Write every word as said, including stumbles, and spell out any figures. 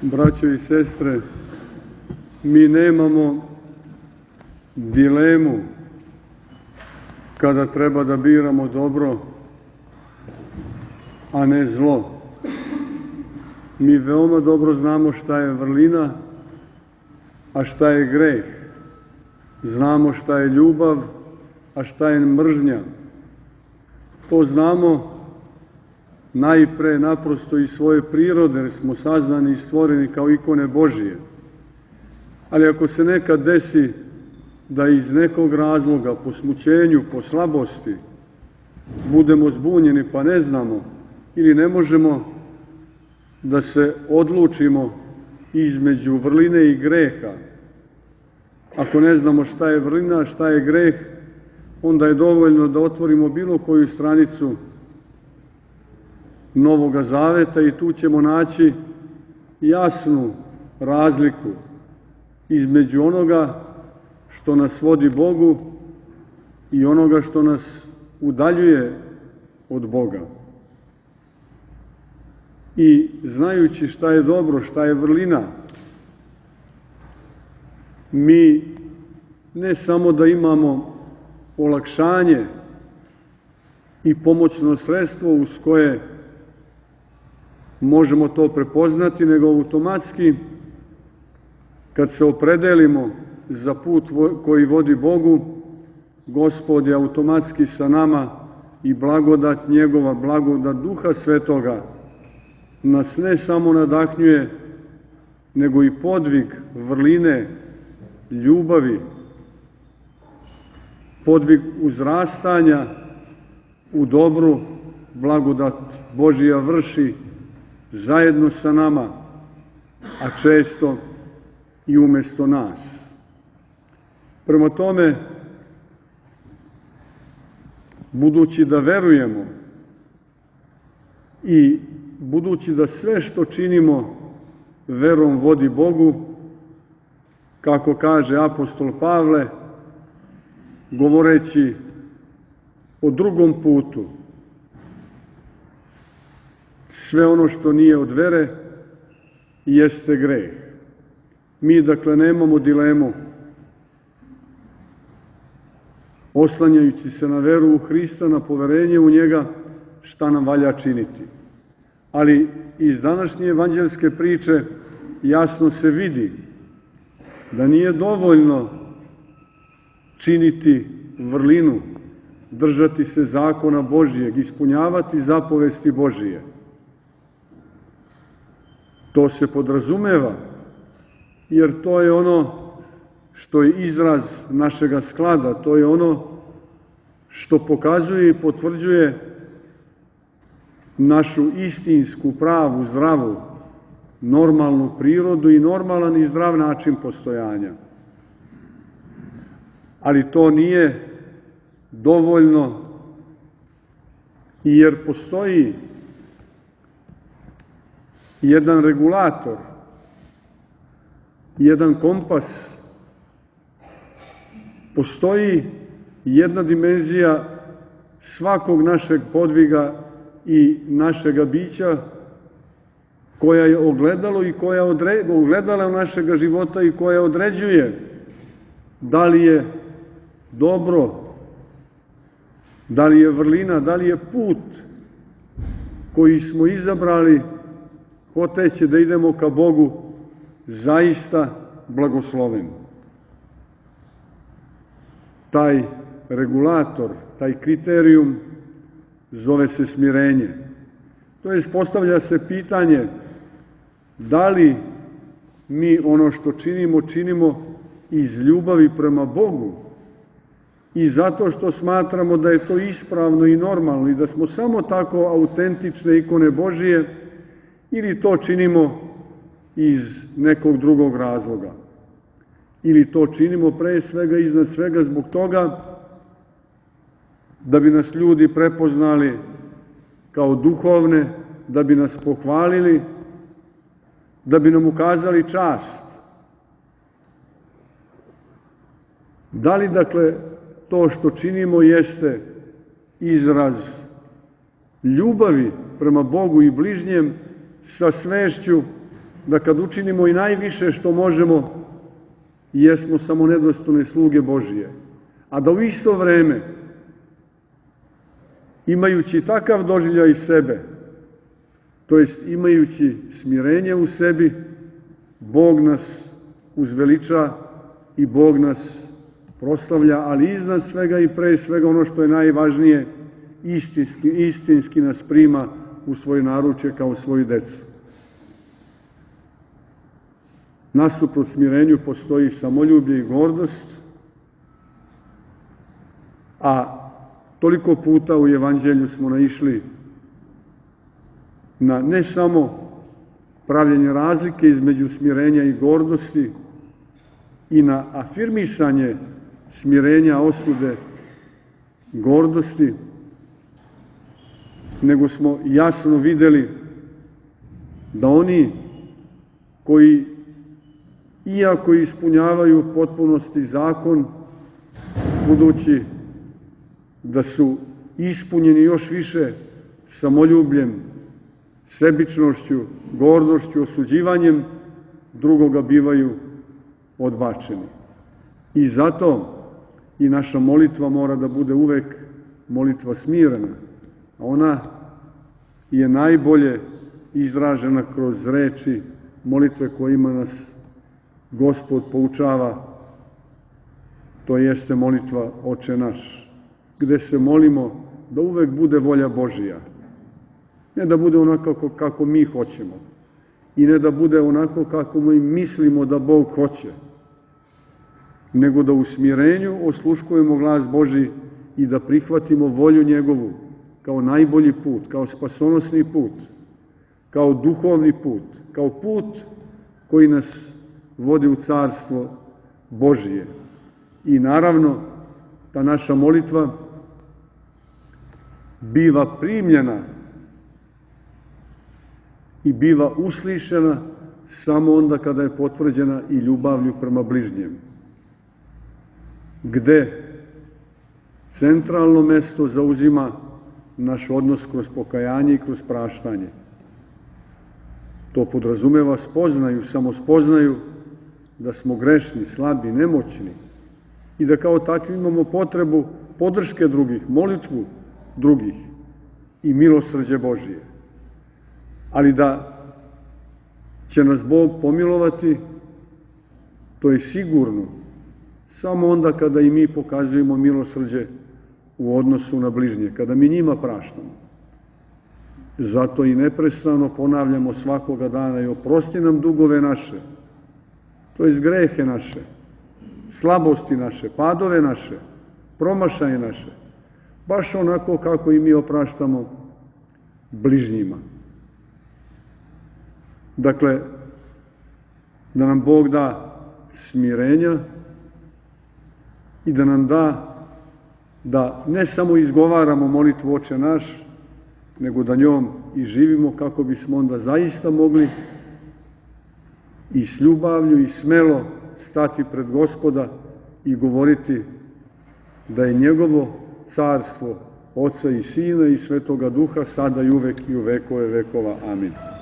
Braćo i sestre, mi nemamo dilemu kada treba da biramo dobro, a ne zlo. Mi veoma dobro znamo šta je vrlina, a šta je greh. Znamo šta je ljubav, a šta je mržnja. To znamo najpre naprosto iz svoje prirode, jer smo saznani i stvoreni kao ikone Božije. Ali ako se nekad desi da iz nekog razloga, po smućenju, po slabosti, budemo zbunjeni pa ne znamo ili ne možemo da se odlučimo između vrline i greha, ako ne znamo šta je vrlina, šta je greh, onda je dovoljno da otvorimo bilo koju stranicu Novoga Zaveta i tu ćemo naći jasnu razliku između onoga što nas vodi Bogu i onoga što nas udaljuje od Boga. I znajući šta je dobro, šta je vrlina, mi ne samo da imamo olakšanje i pomoćno sredstvo uz koje možemo to prepoznati, nego automatski, kad se opredelimo za put koji vodi Bogu, Gospod je automatski sa nama i blagodat njegova, blagodat Duha Svetoga nas ne samo nadahnjuje, nego i podvig vrline, ljubavi, podvig uzrastanja u dobru, blagodat Božija vrši zajedno sa nama, a često i umesto nas. Prema tome, budući da verujemo i budući da sve što činimo verom vodi Bogu, kako kaže apostol Pavle, govoreći o drugom putu, sve ono što nije od vere jeste greh. Mi, dakle, nemamo dilemu, oslanjajući se na veru u Hrista, na poverenje u njega, šta nam valja činiti. Ali iz današnje evanđelske priče jasno se vidi da nije dovoljno činiti vrlinu, držati se zakona Božijeg, ispunjavati zapovesti Božije. To se podrazumeva, jer to je ono što je izraz našega sklada, to je ono što pokazuje i potvrđuje našu istinsku, pravu, zdravu, normalnu prirodu i normalan i zdrav način postojanja. Ali to nije dovoljno, jer postoji jedan regulator, jedan kompas, postoji jedna dimenzija svakog našeg podviga i našega bića koja je ogledalo i koja odre, ogledala našega života i koja određuje da li je dobro, da li je vrlina, da li je put koji smo izabrali hoteći da idemo ka Bogu zaista blagosloven. Taj regulator, taj kriterijum zove se smirenje. To jest, postavlja se pitanje da li mi ono što činimo, činimo iz ljubavi prema Bogu i zato što smatramo da je to ispravno i normalno i da smo samo tako autentične ikone Božije, ili to činimo iz nekog drugog razloga. Ili to činimo pre svega, iznad svega zbog toga da bi nas ljudi prepoznali kao duhovne, da bi nas pohvalili, da bi nam ukazali čast. Da li, dakle, to što činimo jeste izraz ljubavi prema Bogu i bližnjem sa svešću da kad učinimo i najviše što možemo, jesmo samo nedostojne sluge Božije, a da u isto vreme, imajući takav doživljaj sebe, to jest imajući smirenje u sebi, Bog nas uzveliča i Bog nas proslavlja, ali iznad svega i pre svega ono što je najvažnije, istinski, istinski nas prima u svoje naručje kao svoju decu. Nasuprot smirenju postoji samoljublje i gordost, a toliko puta u Evanđelju smo naišli na ne samo pravljenje razlike između smirenja i gordosti i na afirmisanje smirenja, osude, gordosti, nego smo jasno videli da oni koji, iako ispunjavaju u potpunosti zakon, budući da su ispunjeni još više samoljubljem, sebičnošću, gordošću, osuđivanjem, drugoga bivaju odbačeni. I zato i naša molitva mora da bude uvek molitva smirena. Ona je najbolje izražena kroz reči molitve kojima nas Gospod poučava, to jeste molitva Oče naš, gde se molimo da uvek bude volja Božija. Ne da bude onako kako mi hoćemo i ne da bude onako kako mi mislimo da Bog hoće, nego da u smirenju osluškujemo glas Božji i da prihvatimo volju njegovu kao najbolji put, kao spasonosni put, kao duhovni put, kao put koji nas vodi u carstvo Božije. I naravno, ta naša molitva biva primljena i biva uslišena samo onda kada je potvrđena i ljubavlju prema bližnjem, gde centralno mesto zauzima naš odnos kroz pokajanje i kroz praštanje. To podrazumeva spoznaju, samospoznaju da smo grešni, slabi, nemoćni i da kao takvi imamo potrebu podrške drugih, molitvu drugih i milosrđe Božije. Ali da će nas Bog pomilovati, to je sigurno, samo onda kada i mi pokazujemo milosrđe u odnosu na bližnje, kada mi njima praštamo. Zato i neprestano ponavljamo svakoga dana i oprosti nam dugove naše, to jest grehe naše, slabosti naše, padove naše, promašaje naše, baš onako kako i mi opraštamo bližnjima. Dakle, da nam Bog da smirenja i da nam da da ne samo izgovaramo molitvu Oče naš, nego da njom i živimo kako bismo onda zaista mogli i s ljubavlju i smelo stati pred Gospoda i govoriti da je njegovo carstvo Oca i Sina i Svetoga Duha sada i uvek i u vekove vekova. Amin.